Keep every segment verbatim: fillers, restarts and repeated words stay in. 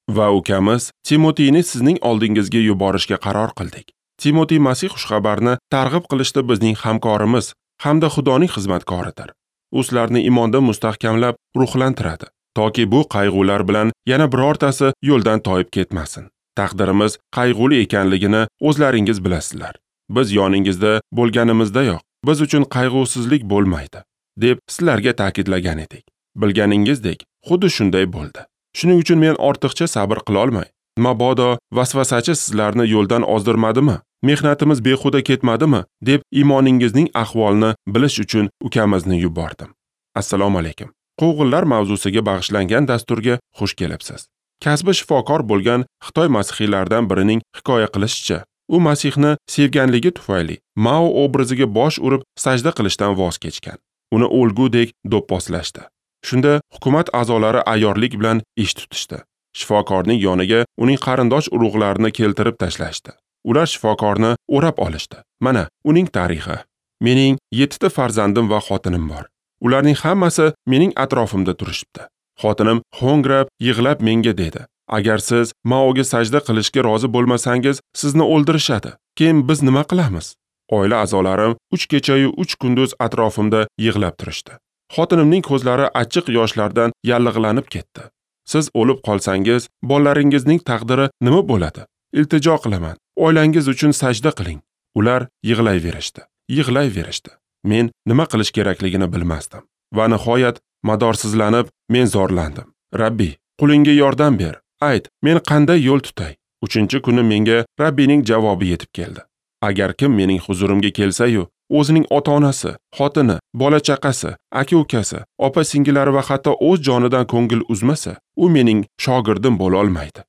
Va ukamiz Timotiyni sizning oldingizga yuborishga qaror qildik. Timotiy Masih xushxabarni targ'ib qilishda bizning hamkorimiz hamda Xudoning xizmatkoridir. U sizlarni iymonda mustahkamlab ruhlantiradi, toki bu qayg'ular bilan yana birortasi yo'ldan toyib ketmasin. Taqdirimiz qayg'uli ekanligini o'zlaringiz bilasizlar. Biz yoningizda bo'lganimizdayoq biz uchun qayg'usizlik bo'lmaydi, deb sizlarga ta'kidlagan edik. Bilganingizdek, xuddi shunday bo'ldi. Shuning uchun men ortiqcha sabr qila olmay, mabodo vasvasachi sizlarni yo'ldan ozdirmadimi, mehnatimiz behuda ketmadimi, deb iymoningizning ahvolini bilish uchun ukamizni yubordim. Assalomu alaykum. Quvg'inlar mavzusiga bag'ishlangan dasturga xush kelibsiz. Kasbi shifokor bo'lgan Xitoy masihiylaridan birining hikoya qilishicha, u Masihni sevganligi tufayli Mao obraziga bosh urib sajda qilishdan voz kechgan. Uni o'lgudek do'pposlashdi. Shunda hukumat a'zolari ayyorlik bilan ish tutishdi. Shifokorning yoniga uning qarindosh urug'larini keltirib tashlashdi. Ular shifokorni o'rab olishdi. Mana uning tarixi. Mening yettita farzandim va xotinim bor. Ularning hammasi mening atrofimda turishibdi. Xotinim ho'ngrab, yig'lab menga dedi: "Agar siz Maoga sajda qilishga rozi bo'lmasangiz, sizni o'ldirishadi. Keyin biz nima qilamiz?" Oila a'zolarim uch kecha-yu uch kunduz atrofimda yig'lab turishdi. Xotinimning ko'zlari achchiq yoshlardan yallig'lanib ketdi. Siz o'lib qolsangiz, bolalaringizning taqdiri nima bo'ladi? Iltijo qilaman, oilangiz uchun sajda qiling. Ular yig'layverishdi, yig'layverishdi. Men nima qilish kerakligini bilmasdim. Va nihoyat madorsizlanib men zorlandim. Rabbi, qulingga yordam ber. Ayt, men qanday yo'l tutay? Uchinchi kuni menga Rabbiyning javobi yetib keldi. Agar kim mening huzurimga kelsa-yu, o'zining ota-onasi, xotini, bola-chaqasi, aka-ukasi, opa-singillari va hatto o'z jonidan ko'ngil uzmasa, u mening shogirdim bo'la olmaydi.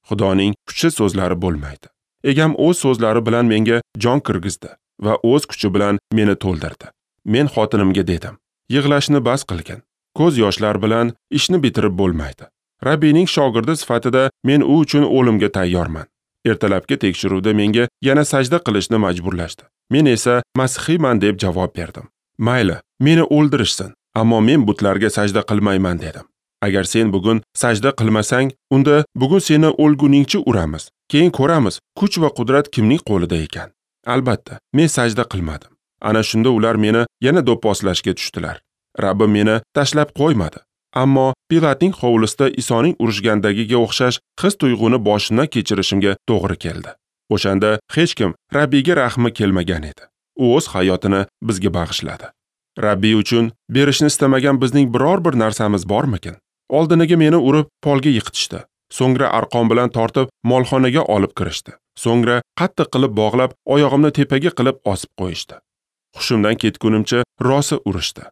Xudoning kuchli so'zlari bo'lmaydi. Egam o'z so'zlari bilan menga jon kirgizdi va o'z kuchi bilan meni to'ldirdi. Men xotinimga dedim: "Yig'lashni bas qilgin. Ko'z yoshlar bilan ishni bitirib bo'lmaydi. Rabbiyning shogirdi sifatida men u uchun o'limga tayyorman." Ertalabki tekshiruvda menga yana sajda qilishni majburlashdi. Men esa masihiyman deb javob berdim. Mayli, meni o'ldirishsin, ammo men butlarga sajda qilmayman dedim. Agar sen bugun sajda qilmasang, unda bugun seni o'lguningcha uramiz. Keyin ko'ramiz, kuch va qudrat kimning qo'lida ekan. Albatta, men sajda qilmadim. Ana shunda ular meni yana do'pposlashga tushdilar. Rabbim meni tashlab qo'ymadi. Ammo Pilatning hovlisida Isoning urishgandagiga o'xshash his-tuyg'uni boshimdan kechirishimga to'g'ri keldi. O'shanda hech kim Rabbiyga rahmi kelmagan edi. U o'z hayotini bizga bag'ishladi. Rabbiy uchun berishni istamagan bizning biror bir narsamiz bormikin? Oldiniga meni urib polga yiqitishdi. So'ngra arqon bilan tortib molxonaga olib kirishdi. So'ngra qattiq qilib bog'lab, oyog'imni tepaga qilib osib qo'yishdi. Hushimdan ketgunimcha rosa urishdi.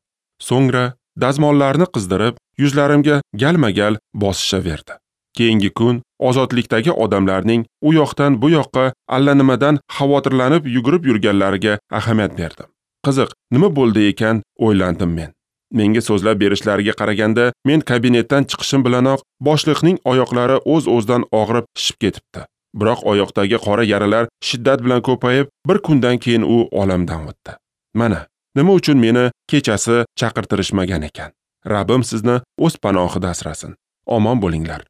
So'ngra dazmollarni qizdirib, yuzlarimga galma-gal bosishaverdi. Keyingi kun ozodlikdagi odamlarning u yoqdan bu yoqqa allanimadan xavotirlanib yugurib yurganlariga ahamiyat berdim. Qiziq, nima bo'ldi ekan, o'ylandim men. Menga so'zlab berishlariga qaraganda, men kabinetdan chiqishim bilanoq boshliqning oyoqlari o'z-o'zidan og'rib shishib ketibdi. Biroq oyoqdagi qora yaralar shiddat bilan ko'payib, bir kundan keyin u olamdan o'tdi. Mana, nima uchun meni kechasi chaqirtirishmagan ekan? Rabbim sizni o'z panohida asrasin. Omon bo'linglar.